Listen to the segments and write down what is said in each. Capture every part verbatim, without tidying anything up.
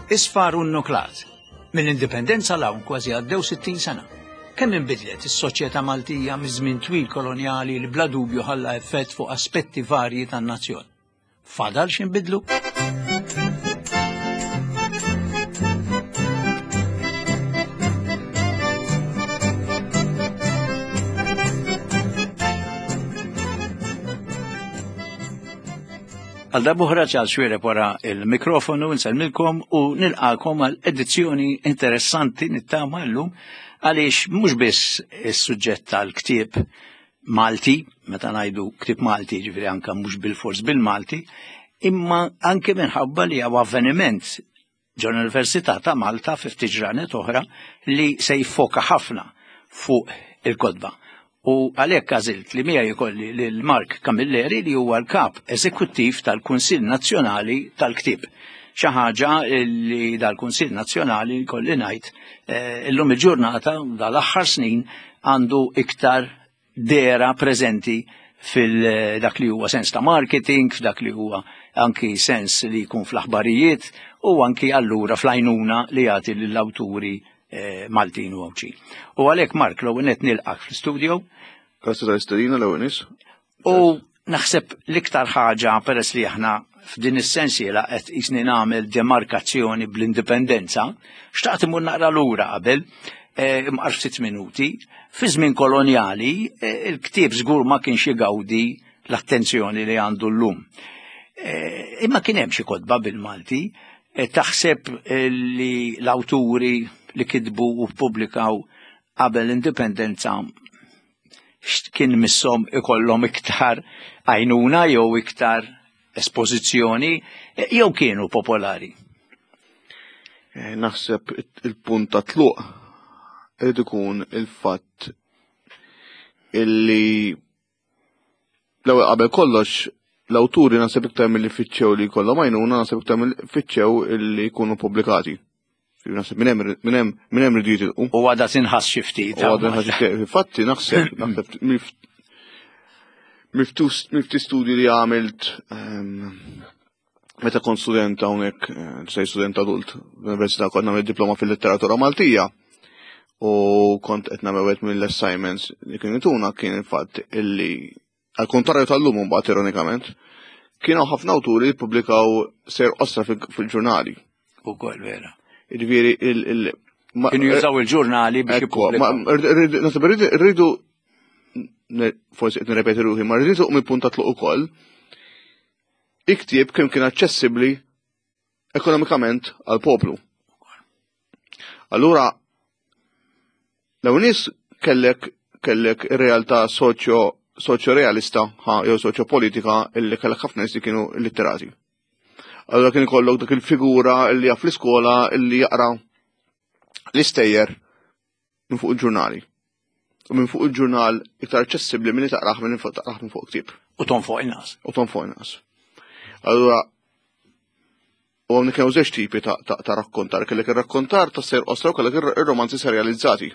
Isfar u nuklat. Mill-indipendenza 'l hawn kważi għaddew sittin sena. Kemm inbidlet is-soċjetà Maltija miż-żmien twil kolonjali li bla dubju ħalla effett fuq aspetti varji tan-nazzjon. Fadal x'inbidlu? Għal darb'oħra Charles Xuereb wara il-mikrofonu nsellmilkom u nilqakom għal edizzjoni interessanti nittama llum għaliex mhux biss is-suġġett tal-ktieb Malti, meta ngħidu ktieb Malti ġifieri anke mhux bil-fors bil-Malti, imma anke minħabba li hawn avveniment ġo l-Università ta' Malta fi ftit ġranet oħra li se jiffoka ħafna fuq il-kotba. U għalhekk għażilt li miegħi jkolli lil Mark Camilleri li huwa l-kap eżekuttiv tal-Kunsill Nazzjonali tal-Ktieb. Xi ħaġa li dal-Kunsill Nazzjonali jkolli ngħid eh, illum il-ġurnata dal-aħħar snin għandu iktar dera preżenti fil-dak li huwa sens ta' marketing, f'dak li huwa anki sens li jkun fl-aħbarijiet u anki allura fl-għajnuna li jagħti lill-awturi eh, Maltin u Għawdxin. U għalhekk Mark l-ewwel nett nilqak fl-studio. Grazzi tal-istedina l-ewwel nies. U naħseb l-iktar ħaġa peress li aħna f'din is-sensiela qed qisni nagħmel demarkazzjoni bl-indipendenza, xtaqt imur naqra lura qabel, eh, imqar ftit minuti, fi żmien kolonjali eh, il-ktieb żgur ma kienx jgawdi l-attenzjoni li għandu llum. Eh, imma kien hemm xi kotba bil-Malti, eh, taħseb eh, li l-awturi li kitbu u ppubblikaw qabel l-indipendenza kien misshom ikollhom iktar għajnuna jew iktar espożizzjoni eh, jew kienu popolari. Eh, Naħseb il-punt ta' tluq irid ikun il-fatt illi l-ewwel qabel kollox l-awturi naħseb iktar milli fittxew li jkollhom għajnuna, naħseb iktar milli fittxew illi jkunu pubblikati. Naħseb minn hemm minn hemm minn hemm ridu jitilqu. U għadha tinħass xi ftit. U għadha tinħass xi ftit. Infatti naħseb naħseb mifti studji li għamilt ehm, meta kont student hawnhekk, eh, sej student adult, l-università kont nagħmel diploma fil-letteratura Maltija. U kont qed nagħmel wieħed mill-assignments li kienu tuna kien il-fatt illi għal kontrarju tal-lum mbagħad ironikament, kienu ħafna awturi li ppubblikaw ser qosra fil-ġurnali. Ukoll vera. Jiġifieri il- Kienu jużaw il-ġurnali biex jippubblikaw. Naħseb irridu forsi qed nirrepeti ruħi, ma rridu mill-punt ta' tluq ukoll. Iktib kemm kien aċċessibbli ekonomikament għal poplu. Allura l nies kellek kellek ir-realtà soċjo soċjo-realista ha, jew soċjo-politika illi kellek ħafna nies li kienu illitterati. Allura kien ikollok dak il-figura illi jaf l-iskola illi jaqra l-istejjer minn fuq il-ġurnali. U minn fuq il-ġurnal iktar aċċessibbli milli taqrah minn fuq taqrah minn fuq ktieb. U tonfoq inqas. U tonfoq inqas. Allura u hawnhekk kienu żewġ tipi ta', ta, ta' rakkontar, kellek ir-rakkontar ta' ser qosra u kellek ir-romanzi serializzati.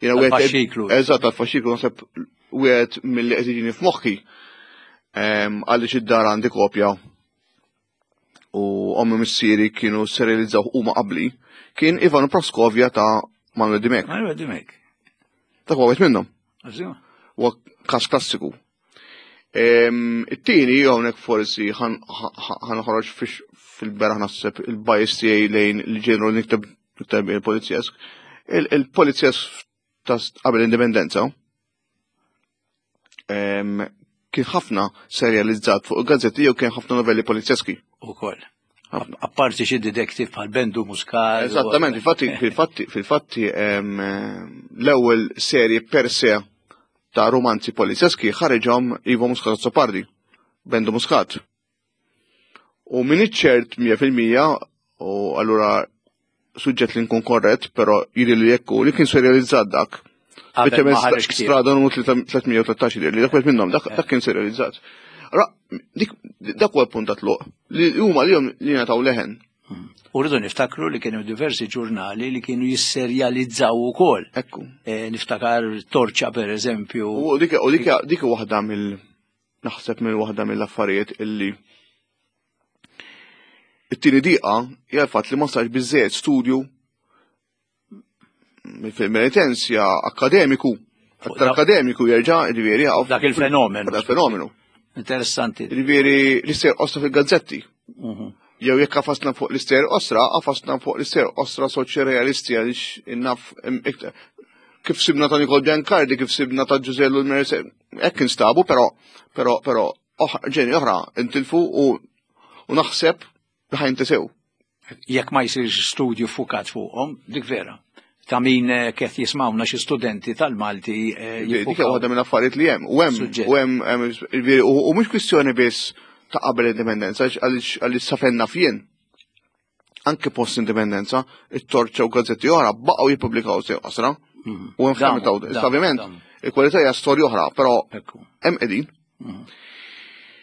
Jiena wieħed Tal-faxxiklu. Eżatt, tal-faxxiklu naħseb wieħed milli qed jiġini f'moħħi ehm, għaliex id-dar għandi kopja u ommi missieri kienu serializzaw huma qabli, kien Ivan Praskovja ta' Manuel Dimech. Manuel Dimech. Dak huwa wieħed minnhom. Huwa każ klassiku. Ehm, It-tieni hawnhekk forsi ħanħroġ fil-beraħ naħseb il-bias tiegħi lejn il-ġenru li nikteb nikteb il-polizjesk. Il-polizjesk ta' qabel l-indipendenza ehm, kien ħafna serializzat fuq il-gazzetti jew kien ħafna novelli polizjeski. Ukoll. Apparti xi detective bħal Bendu Muscat. Eżattament, infatti, fil-fatti, fil-fatti ehm, l-ewwel serje per se ta' romanzi polizjeski ħareġhom Ivo Muscat Azzopardi, Bendu Muscat. U min ċert mija fil-mija, u allura suġġett li nkun korrett, però jidher li jekk hu li kien serializzat dak. Qabel ma ħareġ ktieb. Strada numru tliet mija u tlettax jidher li dak wieħed minnhom, dak, dak kien serializzat. Allora, dik, dak huwa l-punt ta' tluq li huma li jom li ngħataw leħen. U rridu niftakru li kienu diversi ġurnali li kienu jisserjalizzaw ukoll. Ekku. Eh, niftakar Torċa per eżempju. U dik, u dik, dik waħda mill, naħseb mill waħda mill-affarijiet illi It-tieni diqa hija l-fatt li ma sarx biżżejjed studju fil-penitenzja akademiku, aktar akademiku jerġa' ġifieri dak il-fenomenu. Dak il-fenomenu. Interessanti. Ġifieri l-istejjer qosra fil-gazzetti. Mhm. Jew jekk għafasna fuq l-istejjer qosra, għafasna fuq l-istejjer qosra soċjorealisti għaliex innaf kif sibna ta' Nikol Biancardi, kif sibna ta' Giuseppe L-Merce, hekk instabu, però però però ġeni oħra intilfu u u naħseb li ħa jintesew. Jekk ma jsirx studju fukat fuqhom, dik vera. Ta' min eh, kif jismawna xi studenti tal-Malti. Eh, dik hija waħda minn affarijiet li hemm. U hemm u hemm u mhux kwistjoni biss ta' qabel l-indipendenza għaliex safenna fien. Anke post-indipendenza, it-Torċa u gazzetti oħra baqgħu jippubblikaw sew qasra. Mhm. U hemm ħafna ta' ovvjament il-kwalità hija storja oħra, però hemm qegħdin. Mhm.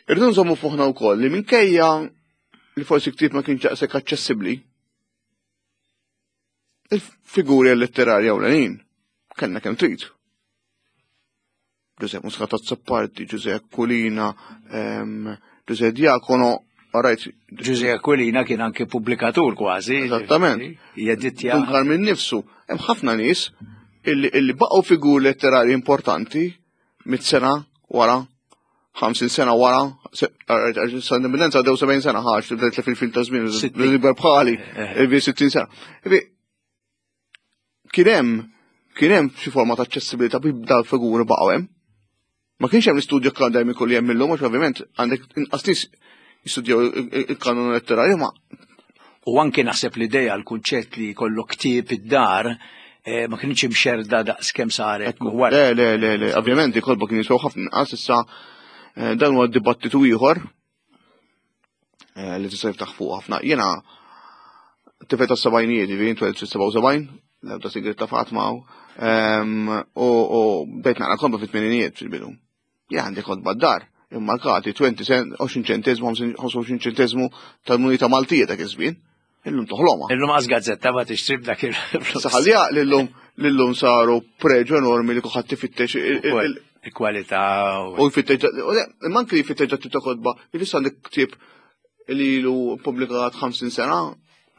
Irridu nżommu fuħna wkoll li minkejja li forsi ktieb ma kienx daqshekk aċċessibbli, il-figuri letterarja ewlenin kellna kemm trid. Giuseppe Muscat Azzopardi, Giuseppe Aquilina, Giuseppe Diacono, Alright. Giuseppe Aquilina kien anke pubblikatur kważi. Esattament. Jedittja. Dunkar minn nifsu. Hemm ħafna nies illi, illi baqgħu figuri letterari importanti mit sena wara, ħamsin sena wara, sa indipendenza għaddew sebgħin sena ħax, tibda fil-fil ta' żmien, l-ikbar bħali, sittin sena. Kien hemm kien hemm xi forma ta' aċċessibilità biex dal-figuri baqgħu hemm. Ma kienx hemm l-istudju akademiku li hemm illum, għax ovvjament għandek inqas nies jistudjaw il-kanonu letterarju ma. U anke naħseb l-idea, l-kunċett li jkollok ktieb id-dar eh, ma kienx imxerda daqs kemm saret. Le, le, le, le, ovvjament il-kotba kien jiswew ħafna inqas issa eh, dan huwa dibattitu ieħor eh, li tista' jiftaħ fuq ħafna. Jiena tifel tas-sebgħinijiet, ġifieri twelid fis-sebgħa u sebgħin, l-ebda sigriet ta' Fatma u bdejt naqra kotba fit-tmeninijiet fil-bidu. Jien għandi kotba d-dar, immarkati għoxrin cent, għoxrin ċentesmu, ħamsa u għoxrin ċentesmu tal-munita Maltija dak iż-żmien. Illum toħlomha. Illum għaż gazzetta ma tixtri b'dak il-flus. Saħalja lillum lillum saru preġu enormi li kulħadd ifittex il-kwalità u jfittex imma anke jfittex dak tip ta' kotba, jfisser għandek ktieb li ilu ppubblikat ħamsin sena.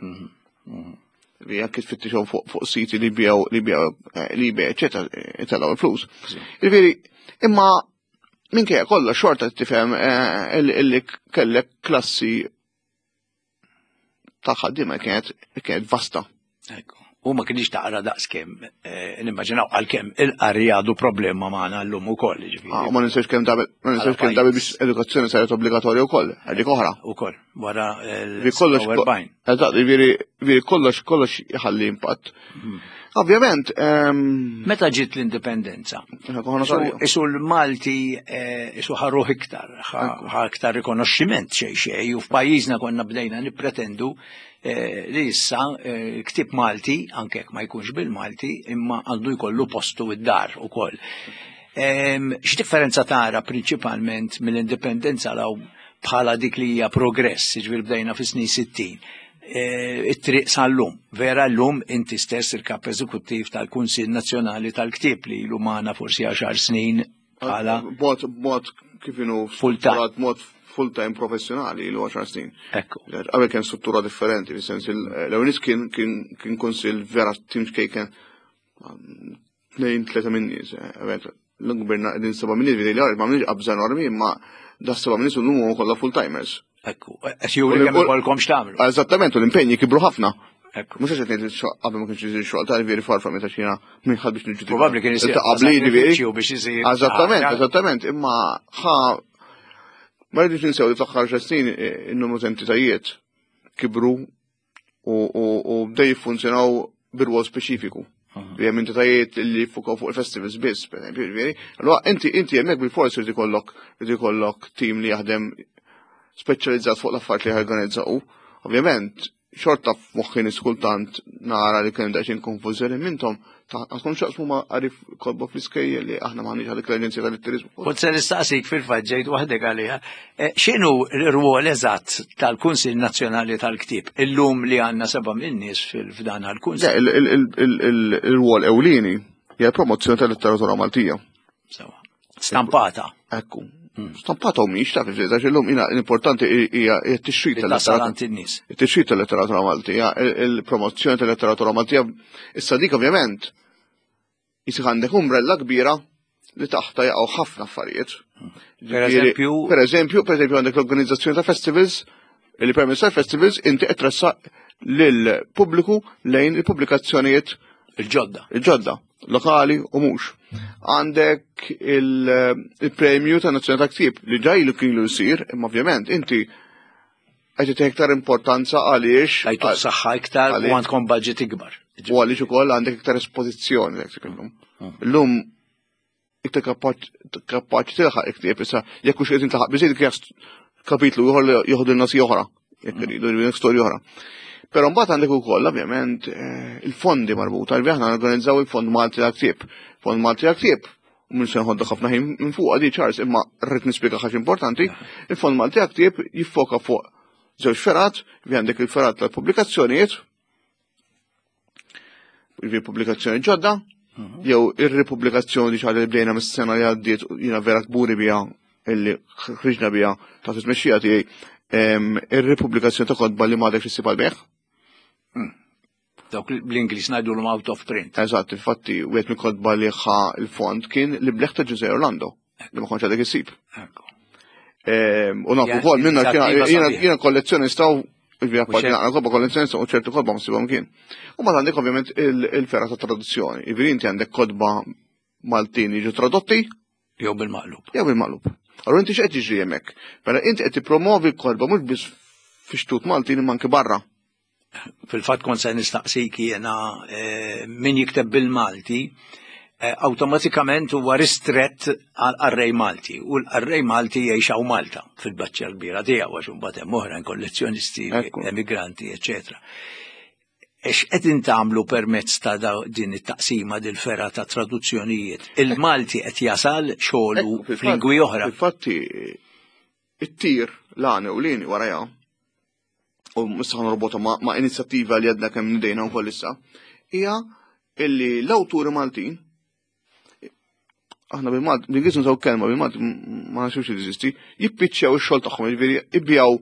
Mhm, mhm. Li jekk tfittixhom fuq siti li bijaw li bijaw eh, li bijaw eċetera, itellgħu il-flus. Jiġifieri, imma minkejja kollox xorta tifhem eh, illi kellek klassi ta' ħaddiema kienet kienet vasta. Ekku. U ma kienx taqra daqskemm, eh, nimmaġinaw għalkemm il-qari għadu problema magħna llum ukoll, jiġifieri. Ah, ma ninsewx kemm dabel, ma ninsewx kemm dabel biex edukazzjoni saret obbligatorja wkoll, dik oħra. Ukoll, wara l-erbgħin. Eżatt, jiġifieri jiġifieri kollox kollox jħalli impatt. Mhm. Ovvjament. Ehm, Meta ġiet l-indipendenza? Isu l-Malti eh, isu ħarruh iktar, ħa iktar rikonoxximent xejn xejn, u f'pajjiżna konna bdejna nippretendu eh, li issa eh, ktieb Malti, anke jekk ma jkunx bil-Malti, imma għandu jkollu postu id-dar ukoll. Ehm, x'differenza tara prinċipalment mill-indipendenza law bħala dik li hija progress, jiġifieri bdejna fis-snin sittin, eh, it-triq sal-lum. Vera l-lum inti stess il-kap eżekuttiv tal-Kunsill Nazzjonali tal-Ktieb li ilu magħna forsi għaxar snin bħala Mod, mod kif inhu full time. Mod full time professjonali ilu għaxar snin. Ekku. Qabel kien struttura differenti, fis-sens l-ewwel kien kien kien kunsill vera tim xkejken tnejn tlieta minn nies, eh, l-gverna qegħdin seba' minn nies, li ma għamilx qabża enormi, imma da seba' minn nies u huma kollha full timers. Ekku, qed juri kemm ikollkom x'tagħmlu. Eżattament, u l-impenji kibru ħafna. Ekku. Mhux għax qed ngħid xogħol qabel ma kienx isir xogħol ta' veri farfa meta xina minn ħadd biex niġġudika. Probabbli kien isir Ta' qabli jiġifieri. biex isir. Eżattament, eżattament, imma ħa ma rridux ninsew li fl-aħħar xar snin in-numru ta' entitajiet kibru u bdew jiffunzjonaw bir-rwol speċifiku. Li hemm entitajiet li jiffukaw fuq il-festivals biss, per eżempju, jiġifieri. Allura inti inti hemmhekk bil-fors irid ikollok irid ikollok tim li jaħdem speċjalizzat fuq l-affarijiet li jorganizzaw. Ovvjament, xorta f'moħħi nies kultant nara li kien daqsxejn konfużjoni minnhom għandkom x'jaqsmu ma' qari kotba fl-iskejjel li aħna m'għandniex għalik l-Aġenzija tal-Litteriżmu. Kont se nistaqsik fil-fatt ġejt waħdek għaliha. Eh, x'inhu l-rwol eżatt tal-Kunsill Nazzjonali tal-Ktieb illum li għandna seba' minn nies f'dan għall-Kunsill? Il-rwol ewlieni hija promozzjoni tal-letteratura Maltija. Sewa. Stampata. Ekku. Stampata u mhix taf għax illum jiena l-importanti hija t-tixrid tal-letteratura. It-tixrid tal-letteratura Maltija, il-promozzjoni tal-letteratura Maltija. Issa dik ovvjament jisir għandek umbrella kbira li taħta jaqgħu ħafna affarijiet. Per eżempju, per eżempju, per eżempju għandek l-organizzazzjoni ta' festivals, li permezz tal-festivals inti qed tressaq lill-pubbliku lejn il-pubblikazzjonijiet il-ġodda. Il-ġodda, lokali u mhux. Għandek il-premju ta' Nazzjonali ta' Ktieb li ġa ilu kienu jsir, imma ovvjament inti qed tagħti iktar importanza għaliex tajtu saħħa iktar u għandkom budget ikbar. U għaliex ukoll għandek iktar espożizzjoni dak illum. Illum iktar kapaċi tilħaq il-ktieb issa jekk hux qed intilħaq biżejjed dik kapitlu ieħor li joħdu n-nasi oħra, jekk iridu storja oħra. Però mbagħad għandek ukoll ovvjament il-fondi marbuta, li aħna organizzaw il-Fond Malti tal-Ktieb. Fond Malti tal-Ktieb, u minn se nħoddu ħafna ħin minn fuq għadi Charles, imma rrid nispjega ħaġa importanti, il-Fond Malti tal-Ktieb jiffoka fuq żewġ ferat, vi għandek il-ferat tal-pubblikazzjonijiet, vi pubblikazzjoni ġodda, jew ir-ripubblikazzjoni xi ħaġa li bdejna mis-sena li għaddiet jiena vera kburi biha illi ħriġna biha ta' tmexxija tiegħi, ir-ripubblikazzjoni ta' kotba li m'għadek issib għall-bejgħ. Dawk bl-Ingliż ngħidulhom out of print. Eżatt, infatti wieħed mill-kotba li ħa il-fond kien li bleħ ta' Ġużè Orlando, li ma kontx għadek issib. U nafu wkoll minna jiena kollezzjonista u naqra kotba kollezzjonista u ċertu kotba ma ssibhom kien. U mbagħad għandek ovvjament il-ferra ta' traduzzjoni. Jiġifieri inti għandek kotba Maltin jiġu tradotti jew bil-maqlub. Jew bil-maqlub. Allura inti x'qed jiġri hemmhekk? Mela inti qed tippromovi l-kotba mhux biss fi xtut Maltin imma anke barra. Fil-fatt kont se nistaqsik jiena min jikteb bil-Malti awtomatikament huwa ristrett għal qarrej Malti u l-qarrej Malti jgħix hawn Malta fil-baċċa kbira tiegħu għax imbagħad hemm oħrajn kollezzjonisti, emigranti, eċetera. X'qed intagħmlu permezz ta' din it-taqsima dil-ferra ta' traduzzjonijiet? Il-Malti qed jasal xogħlu f'lingwi oħra. Infatti it-tir l-għani u lini warajha u issa ħa ma', ma' inizjattiva li għadna kemm nidejna wkoll issa, hija illi l-awturi Maltin aħna bil-Malti, bil-Ingliż nużaw kelma bil-Malti ma nafx jeżisti, jippiċċjaw ix-xogħol tagħhom, jiġifieri ibjaw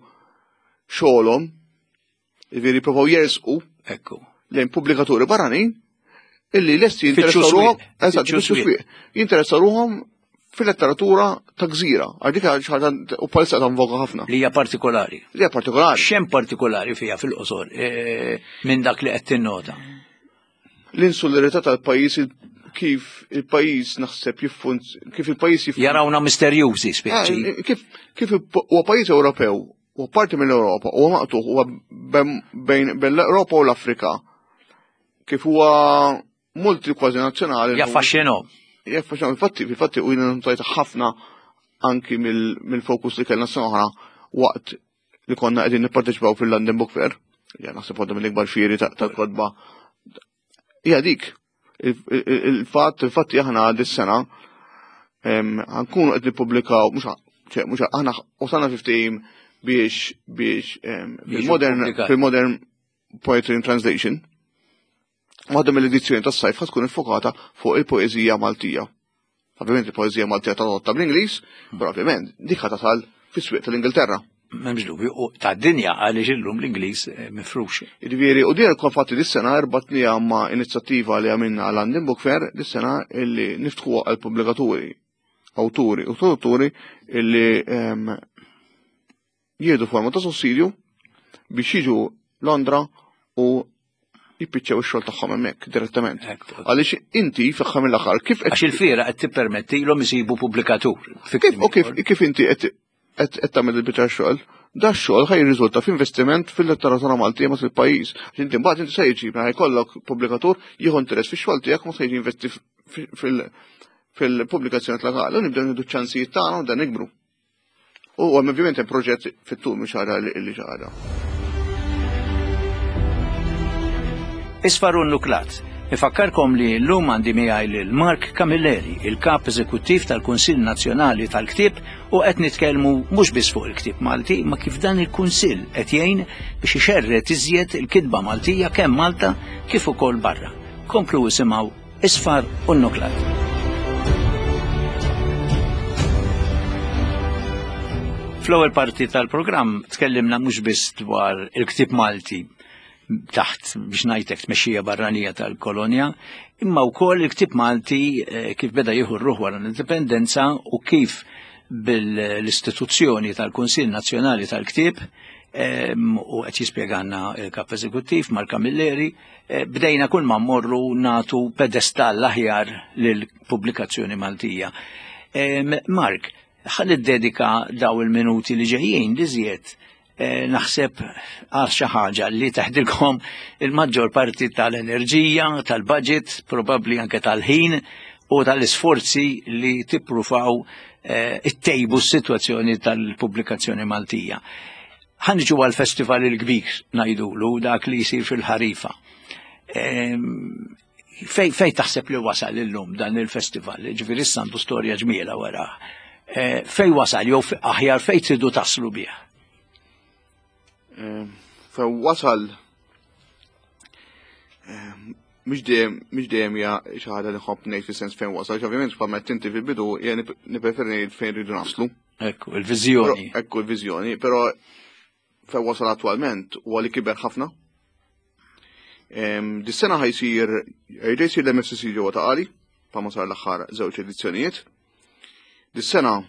xogħolhom, jiġifieri jippruvaw jersqu Ekku. lejn pubblikaturi barranin illi lesti jinteressaw ruħhom, eżatt, jinteressaw ruħhom fil-letteratura ta' gżira, għal dik xi ħaġa u bħalissa ta' invoga ħafna. Li hija partikolari. Li hija partikolari. X'hemm partikolari fiha fil-qosor minn dak li qed tinnota? L-insularità tal-pajjiż, kif il-pajjiż naħseb jiffunz, kif il-pajjiż jiffunz. Jarawna misterjużi speċi. Kif kif huwa pajjiż Ewropew, huwa parti mill-Ewropa, huwa maqtuħ, huwa bejn l-Ewropa u l-Afrika. Kif huwa multi kważi nazzjonali. Jaffaxxinhom. Jaffaxxinhom, infatti, infatti u jiena notajt ħafna anki mill-fokus li kellna sena oħra waqt li konna qegħdin nipparteċipaw fil-London Book Fair, ja naħseb waħda mill-ikbar fieri tal-kotba. Hija dik. Il-fatt, infatti aħna dis-sena ħankunu qed nippubblikaw, mhux mhux aħna wasalna fi ftehim biex biex fil-modern fil-modern poetry in translation. Waħda mill-edizzjoni tas-sajf ħa tkun iffokata fuq il-poeżija Maltija. Ovvjament il-poeżija Maltija tradotta bl-Ingliż, però ovvjament dik ħa tasal fis-swieq tal-Ingilterra. M'hemmx dubju, u tad-dinja għaliex illum l-Ingliż mifrux. Jiġifieri, u din infatti dis-sena rbatniha ma' inizjattiva li għamilna għal London Book Fair dis-sena illi niftħuha għal pubblikaturi, awturi u tradutturi illi jieħdu forma ta' sussidju biex jiġu Londra u jippiċċew ix-xogħol tagħhom hemmhekk direttament. Għaliex inti fl-aħħar mill-aħħar kif Għax il-fiera qed tippermettilhom isibu pubblikatur. Kif u kif kif inti qed qed tagħmel il-biċċa xogħol, da x-xogħol ħaj jirriżulta f'investiment fil-letteratura Maltija ma fil-pajjiż. Għax inti mbagħad inti se jiġi mela jkollok pubblikatur jieħu interess fix-xogħol tiegħek ma se jiġi investi fil-pubblikazzjoni tal-għal. U nibdew nieħdu ċ-ċansijiet tagħna u dan nikbru. U ovvjament hemm proġett fit-tul mhux ħaġa li xi ħaġa. Isfar u Nuklat. Ifakkarkom li llum għandi miegħi lil Mark Camilleri, il-kap eżekuttiv tal-Kunsill Nazzjonali tal-Ktieb, u qed nitkellmu mhux biss fuq il-ktieb Malti, ma kif dan il-Kunsill qed jgħin biex ixerred iżjed il-kitba Maltija kemm Malta kif ukoll barra. Komplu isimgħu Isfar u Nuklat. Fl-ewwel parti tal-programm tkellimna mhux biss dwar il-ktieb Malti taħt biex ngħidlek tmexxija barranija tal-kolonja, imma wkoll il-ktieb Malti eh, kif beda jieħu r-ruħ wara l-indipendenza u kif bil-istituzzjoni tal-Kunsill Nazzjonali tal-Ktieb em, u qed jispjegana il-kap eżekuttiv Mark Camilleri, eh, bdejna kull ma mmorru natu pedestall aħjar lill-pubblikazzjoni Maltija. Em, Mark, ħa niddedika daw il-minuti li ġejjin li żjed eh, naħseb għal xi ħaġa li teħdilkom il-maġġor parti tal-enerġija, tal-budget, probabbli anke tal-ħin u tal-isforzi li tippruvaw eh, ittejbu s-sitwazzjoni tal-pubblikazzjoni Maltija. Ħa niġu għal-festival il-kbir ngħidulu dak li jsir fil-ħarifa. Em, Fej, fej taħseb li wasal illum dan il-festival, ġifieri issa għandu storja ġmiela wara. Eh, Fej wasal, jew fe- aħjar fej tridu taslu bih. Fe wasal mhux dejjem mhux dejjem hija xi ħaġa li nħobb ngħid fis-sens fejn wasal, għax ovvjament bħalma qed inti fil-bidu hija nippreferi ngħid fejn rridu naslu. Ekku, il-viżjoni. Però- Ekku l-viżjoni, però fejn wasal attwalment huwa li kiber ħafna. Em, Dis-sena ħa jsir jerġa' jsir l-M F C C ġewwa Ta' Qali, bħalma sar l-aħħar żewġ edizzjonijiet. Dis-sena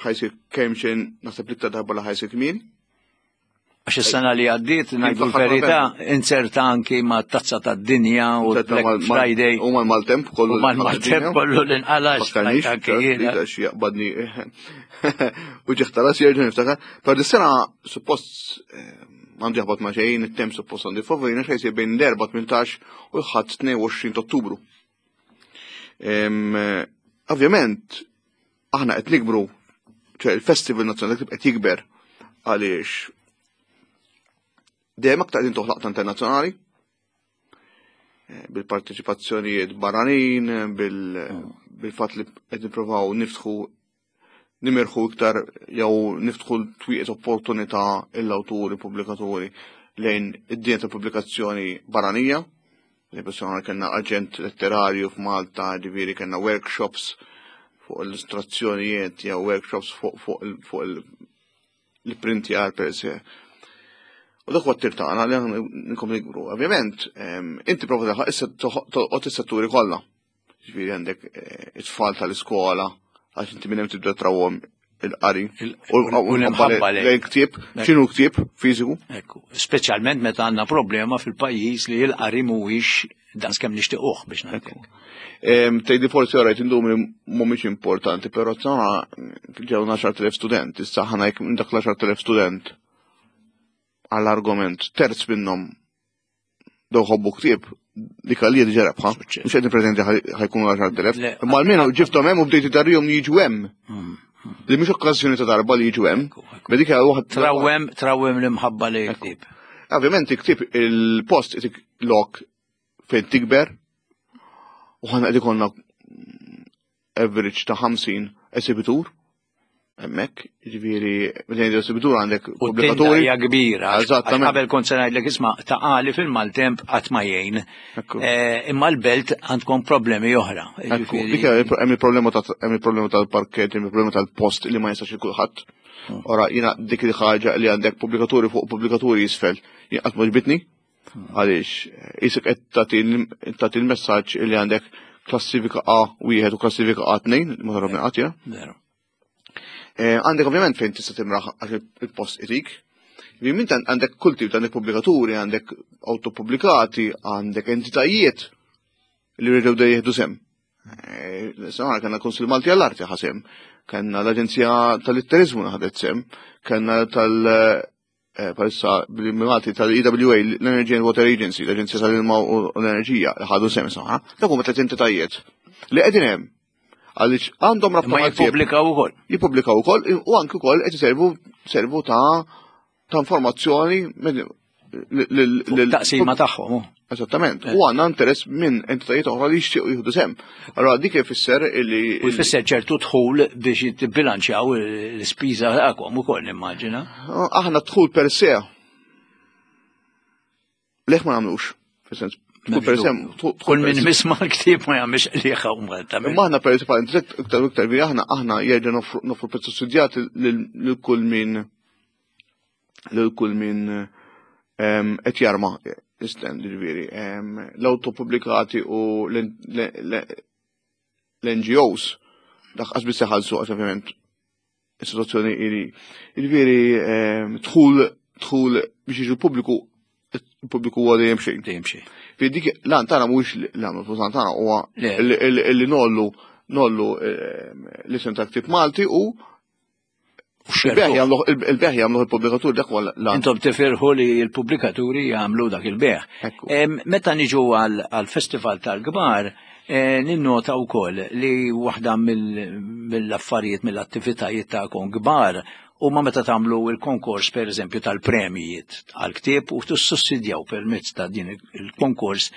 ħa jsir kemm xejn naħseb l-iktar darba li ħa jsir kmieni. Għax is-sena li għaddiet, ngħidu fl-aħħar l-verità, inzerta anki ma' tazza tad-dinja u Inzerta Black mal- mal- Friday. U mal-maltemp kollu. U mal-maltemp kollu l-inqalax. Fakkarnix, anki jiena. għax jaqbadni u ġeħta ras jerġa' niftakar. Per dis-sena suppost eh, għandu jaħbat ma' xejn, it-temp suppost għandu favorina xejn jsir bejn l-Erbgħa tmintax u l-Ħadd tnejn u għoxrin ta' Ottubru. Em, eh, Ovvjament, aħna qed nikbru, ċe il-Festival Nazzjonali qed jikber għaliex dejjem aktar qegħdin toħlaq ta' internazzjonali eh, bil-parteċipazzjonijiet barranin, bil- bil-fatt li qed nippruvaw niftħu nimirħu iktar jew niftħu twieqet opportunità l-awturi, pubblikaturi lejn id-dinja ta' pubblikazzjoni barranija. Li kellna aġent letterarju f'Malta, ġifieri kellna workshops fuq illustrazzjonijiet jew workshops fuq fuq il- fuq il- l-printjar per se. U dak huwa t-tir tagħna li aħna nkomplu nikbru. Ovvjament, em, inti prova tilħaq issa toqgħod is-setturi kollha. Ġifieri għandek eh, it-tfal tal-iskola, għax inti minn hemm tibda trawhom il-qari. Il- u l-imħabba lejn. Lejn ktieb, x'inhu ktieb fiżiku. Ekku, speċjalment meta għandna problema fil-pajjiż li l-qari mhuwiex dan kemm nixtiequh biex ngħidlek. Em, Tgħidli forsi orajt indum li mhumiex importanti, però tagħna ġew għaxart elef student, issa ħana jekk minn dak l-għaxart elef student għall-argument terz minnhom daw ħobbu ktieb li kalli diġà rebħa. Suċċess. Mhux qed nippretendi ħa jkunu għaxart elef. Le, Imma almenu ġibthom hemm u bdejt idarrihom li jiġu hemm. Mm. Li mhux okkażjoni ta' darba li jiġu hemm. Ekku, ekku. Ma dik hija waħd Trawwem, trawwem l-imħabba li ktieb. Ovvjament ktieb il-post itik lok fejn tikber u ħana qed ikollna average ta' ħamsin esibitur hemmhekk, jiġifieri meta ngħidu esibitur għandek U t-tinda pubblikaturi. hija kbira. għax Eżattament. Qabel kont se ngħidlek isma' Ta' Qali fil-maltemp qatt ma jgħin. Ekku. Eh, Imma l-belt għandkom problemi oħra. Ekku, Ġifieri- dik hija hemm il-problema ta' hemm il-problema tal-parkett, hemm il-problema tal-post li ma jistax kulħadd. Ora jiena dik il-ħaġa li għandek pubblikaturi fuq pubblikaturi jisfel, jien qatt ma ġbitni. Għaliex isek qed tagħti tagħti l-messaġġ li għandek klassifika A wieħed u klassifika A tnejn, ma tarabni qatt jiena. Veru. Eh, Għandek ovvjament fejn tista' timraħ għax il-post itik. Ġifieri mint għandek kull tip, għandek pubblikaturi, għandek autopubblikati, għandek entitajiet li rridu da jieħdu sem. Eh, Sama kellna Kunsill Malti għall-Arti ħa sem, kellna l-Aġenzija tal-Litterizmu ħadet sem, kellna tal- eh, palissa bil-Malti tal-E W A, l-Energy and Water Agency, l-Aġenzija tal-Ilma u l-Enerġija, li ħadu sem saħħa. Dak huma tliet entitajiet li qegħdin hemm għaliex għandhom rabta Imma mal-ktieb jippubblikaw ukoll. jippubblikaw ukoll u anki wkoll qed iservu servu ta' ta' informazzjoni minn- lil- lil- Taqsima tagħhom. hu. Eżattament. U għandna interess minn entitajiet oħra li jixtiequ jieħdu sem. Allora dik ifisser illi U jfisser ċertu dħul biex jitbilanċjaw l-ispiża tagħkom ukoll nimmaġina. Aħna dħul per se. Leħ ma nagħmlux. Fis-sens Kull min misma l-ktieb ma jagħmilx qliħa u Malta. Imma aħna per eżempju iktar iktar bi aħna aħna jerġa' noffru prezz sussidjat lil kull min lil kull min qed jarma stand, ġifieri. L-autopubblikati u l-N G Os dak qas biss iħallsu għax ovvjament is-situazzjoni ili. Ġifieri dħul dħul biex jiġu pubbliku, il-pubbliku huwa dejjem xejn. Dejjem xejn. Fi dik l-għan tagħna mhuwiex l-għan, l-għan tagħna huwa li nollu nollu l-isem ta' ktieb Malti u il-beħ jagħmluh il-pubblikatur, dak huwa l-għan. Intom tifirħu li l-pubblikaturi jagħmlu dak il-beħ. Meta niġu għal-festival tal-kbar, ninnota wkoll li waħda mill-affarijiet, mill-attivitajiet tagħkom kbar u ma meta tagħmlu il-konkors, per eżempju, tal-premijiet għal-ktieb u tissussidjaw permezz ta' din il-konkors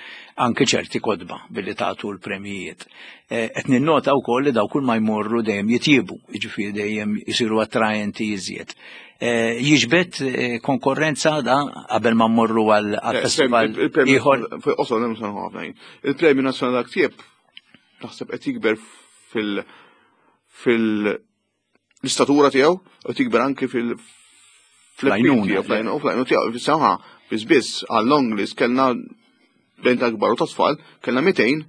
anke ċerti kotba billi tagħtu l-premijiet. Qed ninnota wkoll li daw kull ma jmorru dejjem jitjiebu, jiġifieri dejjem jisiru attraenti iżjed. Jiġbed konkurrenza da qabel ma mmorru għal-festival ieħor? Il-Premju Nazzjonali tal-Ktieb naħseb qed jikber fil- fil l-istatura tiegħu u tikber anki fil Fl-għajnuna. Fl-għajnuna tiegħu. Fis-sena biss biss għal long list kellna bejn ta' kbar u ta' tfal kellna mitejn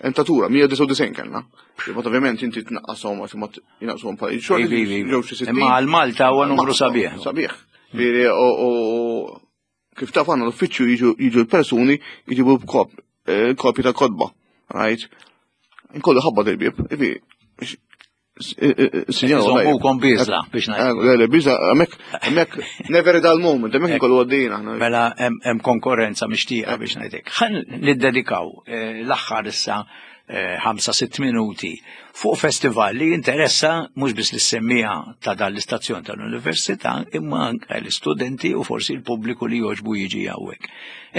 entatura, mija disgħa u disgħin kellna. Ma ovvjament inti tnaqqashom għax ma jinaqshom pa' xogħol. Jew xi sittin. Imma għal Malta huwa numru sabiħ. Sabiħ. Veri, u kif taf għandna l-uffiċċju jiġu l-persuni jiġibu kopji ta' kotba. Right? Nkollu ħabba del-bieb. Iżommukom biżla biex ngħid. Le, le, biżla, hemmhekk, hemmhekk, never a dull moment, hemmhekk nkollu għaddejjin aħna. Mela hemm konkurrenza mixtieqa biex ngħidlek. Ħa niddedikaw l-aħħar issa ħamsa sitt minuti fuq festival li interessa mhux biss lis-semmiegħa ta' dan l-istazzjon tal-università imma anke l-istudenti u forsi l-pubbliku li jogħġbu jiġi hawnhekk.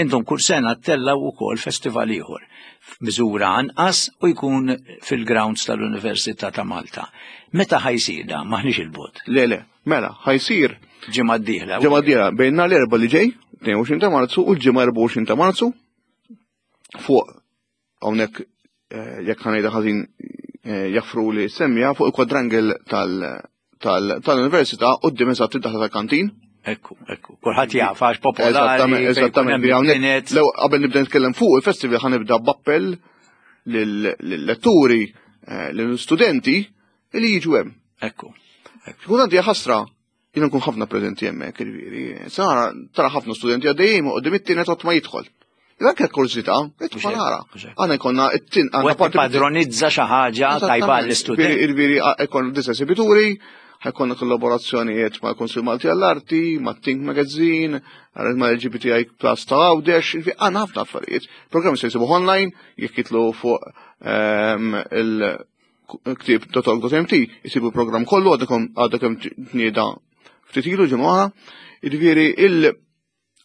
Intom kull sena ttellaw ukoll festival ieħor f'miżura anqas u jkun fil-grounds tal-Università ta' Malta. Meta ħa jsir da? Maħniex il-bogħod. Le, le, mela, ħa jsir. Ġimgħa d-dieħla. Ġimgħa d-dieħla, bejn nhar l-Erbgħa li ġej, tnejn u għoxrin ta' Marzu, u l-Ġimgħa erbgħa u għoxrin ta' Marzu, fuq hawnhekk, jekk ħa ngħidha ħażin jaffru li semmija, fuq il-quadrangle tal-università quddiem eżatt id-daħla tal-kantin. Ekku, ekku. Kulħadd jaf għax popolari. Eżattament, fejn jkun eżattament. hemm Hawnhekk, kienet. Lew qabel nibda nitkellem fuq il-festival ħa nibda b'appell lill-letturi, lill-studenti li jiġu hemm. Ekku. Kultant hija ħasra, jiena nkun ħafna preżenti hemmhekk, jiġifieri. Sara tara ħafna studenti għaddejjin u qudiem it-tienet qatt ma jidħol. Anke kurżità, idħol ara. Għandna jkollna it-tin, għandna U qed padronizza xi ħaġa tajba l-istudent. Jiġifieri jkollna disa esibituri, ħajkonna kollaborazzjonijiet mal Kunsill Malti għall-Arti, ma' Think Magazine, ma' L G B T I Plus ta' Għawdex, jiġifieri għandna ħafna affarijiet. Programmi se jsibu online, jekk jitlu fuq ehm, il-ktieb dot org dot M T, jisibu program kollu, għadha kemm tnieda ftit ilu ġimgħa. Jiġifieri il-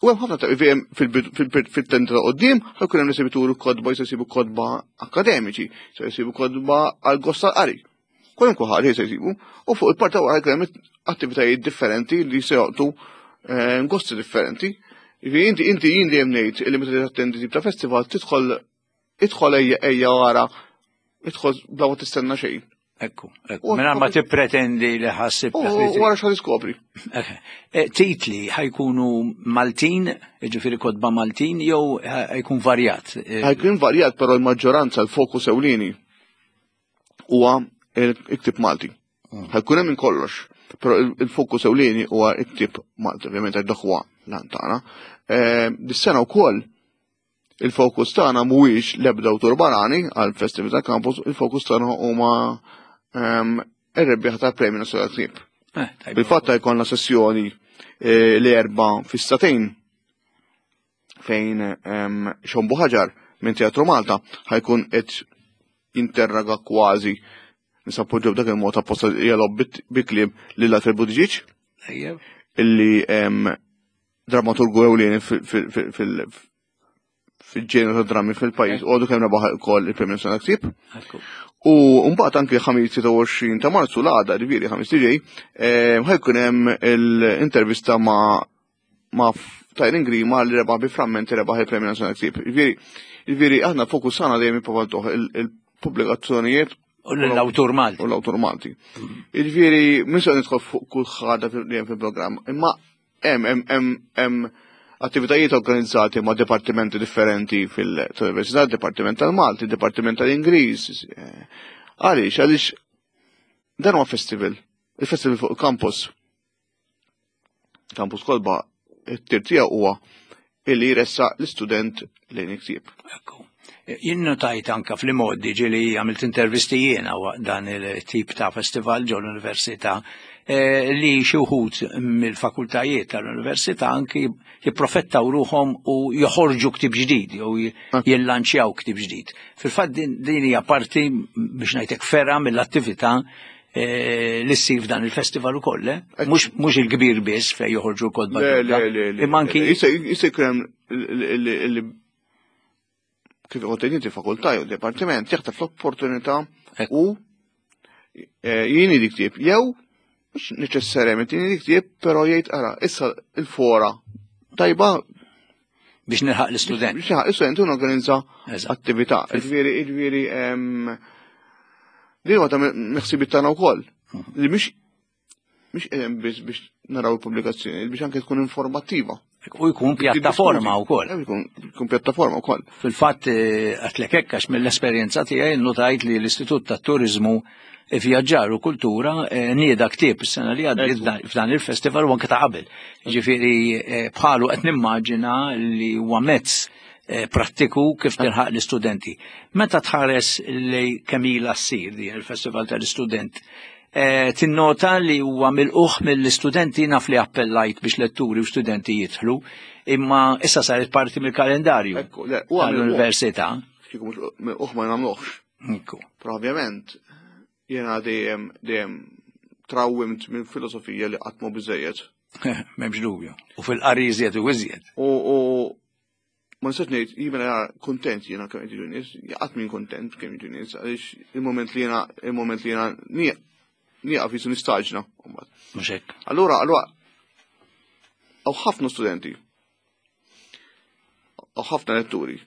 U hemm ħafna ta' fil-tenda ta' quddiem, ħajkun hemm esibituri kotba, jista' jsibu kotba akademiċi, se jsibu kotba għal gost tal-qari. Kwalunkwe ħaġa se jsibu. U fuq il-parta wara jkun hemm attivitajiet differenti li se joqtu eh, gosti differenti. Jiġifieri inti inti jien dejjem ngħid li meta tattendi tip ta' festival tidħol idħol ejja ejja wara, idħol bla ma tistenna xejn. Ekku, ekku. Mela ma tippretendi li ħassib. U wara x'ħa tiskopri. Eh, titli ħa jkunu Maltin, ġifieri kotba Maltin, jew ħa jkun varjat? Eh, Ħa jkun varjat, però l-maġġoranza, l-fokus ewlieni huwa il-ktieb Malti. Mm. Ħa jkun hemm minn kollox, però il-fokus ewlieni huwa il-ktieb Malti, ovvjament għax dak huwa l-għan tagħna. Eh, dis-sena wkoll il-fokus tagħna mhuwiex l-ebda awtur barani għal-Festival ta' Campus, il-fokus tagħna huma ehm, ir-rebbieħa tal-Premju Nazzjonali Ktieb. Eh, tajba. Bil-fatt jkollna sessjoni eh, l-Erbgħa fis-sagħtejn fejn ehm, Sean Buhagiar minn Teatru Malta ħa jkun qed jinterroga, kważi nisappoġġu b'dak il-mod apposta jalob bi kliem, lil Alfred Buttigieg Ejjew. illi ehm, dramaturgu ewlieni fil-ġenru ta' drammi fil-pajjiż u għadu kemm rebaħ ukoll il-Premju Nazzjonali Ktieb. Ekku. U mbagħad anke Ħamis sitta u għoxrin ta' Marzu, l-għada, ġifieri Ħamis li ġej, eh, ħa jkun hemm l-intervista ma' ma' Tyron Grima li rebaħ bi Frammenti, rebaħ il-Premju Nazzjonali Ktieb. Ġifieri Jiġifieri aħna fokus tagħna dejjem jipprovaw il-pubblikazzjonijiet U l-awtur Malti. U l-awtur Malti. Jiġifieri mhux se nidħol fuq kull ħaġa li hemm fil-programm, imma hemm hemm hemm hemm attivitajiet organizzati ma' dipartimenti differenti fil-Università, Dipartiment tal-Malti, Dipartiment tal-Ingliż. Għaliex, għaliex dan huwa festival, il-festival fuq il-campus. Campus Kotba, it-tir tiegħu huwa illi jressaq l-istudent lejn il-ktieb. Ekku. Jien notajt anka fl-modi ġieli għamilt intervisti jiena waqt dan il-tip ta' festival ġo l-università eh, li xi wħud mill-fakultajiet tal-università anki jipprofettaw ruħhom u joħorġu ktib ġdid jew jillanċjaw ktib ġdid. Fil-fatt din din hija parti biex ngħidlek ferra mill-attività eh, li ssir f'dan il-festival ukoll, eh? Mhux mhux il-kbir biss fejn joħorġu kotba Le, ġodda, le, le, le. imma anki Jista' jista' jkun hemm li kif qed inti fakultà jew dipartiment jaħtaf l-opportunità Ekku. u eh, jien dik ktieb jew mhux neċessarjament jien dik ktieb però jgħid ara issa il-fora tajba biex nilħaq l-istudent. biex jaħaq l-istudent u norganizza Eżatt. attività. Jiġifieri jiġifieri em, din huwa ta' meħsibiet tagħna wkoll. Li mhix mhix qegħdin biss biex naraw il-pubblikazzjoni, biex anke tkun informattiva. U jkun pjattaforma wkoll. Eh, Jkun jkun pjattaforma wkoll. Fil-fatt eh, għatlek hekk għax mill-esperjenza tiegħi notajt li l-Istitut tat-Turizmu Vjaġġar u Kultura eh, nieda ktieb is-sena li għaddiet f'dan- f'dan il-festival u anke ta' qabel. Ġifieri eh, bħalu qed nimmaġina li huwa mezz eh, prattiku kif tilħaq l-istudenti. Meta tħares li kemm ilha ssir din il-Festival tal-Istudent, eh, tinnota li huwa milquh mill-istudenti naf li appellajt biex letturi u studenti jidħlu, imma issa saret parti mill-kalendarju Ekku, le, huwa milquh. tal-università. Kieku mhux milquh ma nagħmluhx. Ekku. Però ovvjament jiena dejjem dejjem trawwimt minn filosofija li qatt mhu biżejjed. M'hemmx dubju. U fil-qari iżjed u iżjed. U u ma nistax ngħid jiena kontent jiena kemm jiġu nies, qatt min kontent kemm jiġu nies, għaliex il-moment li jiena il-moment li jiena nieqaf jisu nistaġna. mbagħad. Mhux hekk. Allura, allura, hawn ħafna studenti, hawn ħafna letturi,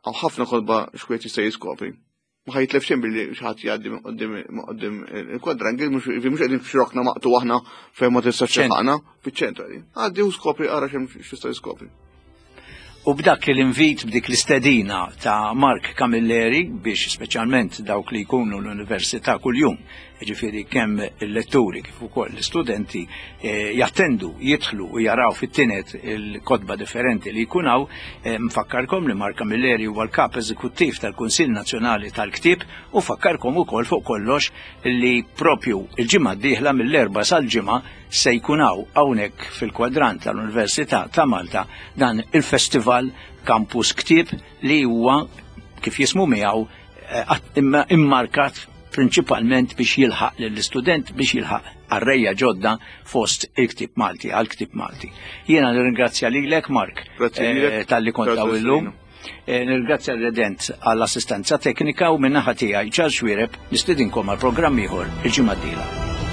hawn ħafna kotba x'wieħed jista' jiskopri. Ma ħa jitlef xejn billi xi ħadd jgħaddi minn quddiem minn quddiem il-kwadrangil, mhux mhux qegħdin f'xi maqtu aħna fejn ma tistax Ċentru. tilħaqna, fiċ-ċentru qegħdin. Għaddi u skopri ara x'hemm x'tista' jiskopri. U b'dak l-invit, b'dik l-istedina ta' Mark Camilleri biex speċjalment dawk li jkunu l-università kuljum, ġifieri kemm il-letturi kif ukoll l-istudenti eh, jattendu, jidħlu u jaraw fit-tinet il-kotba differenti li jkun hawn, eh, nfakkarkom li Mark Camilleri huwa l-kap eżekuttiv tal-Kunsill Nazzjonali tal-Ktieb u fakkarkom ukoll fuq kollox li propju il-ġimgħa d-dieħla mill-Erbgħa sal-Ġimgħa se jkun hawn hawnhekk fil-kwadrant tal-Università ta' Malta dan il-Festival Campus Ktieb li huwa kif jismu miegħu eh, att- imma- immarkat prinċipalment biex jilħaq lill-istudent biex jilħaq qarrejja ġodda fost il-ktib Malti, għal-ktib Malti. Jiena nirringrazzja lilek Mark Grazzi lilek. eh, talli kont Grazzi hawn illum. Sirino. Eh, Nirringrazzja l-Redent għall-assistenza teknika u min-naħa tiegħi Charles Xuereb nistedinkom għal programm ieħor il-ġimgħa d-dieħla.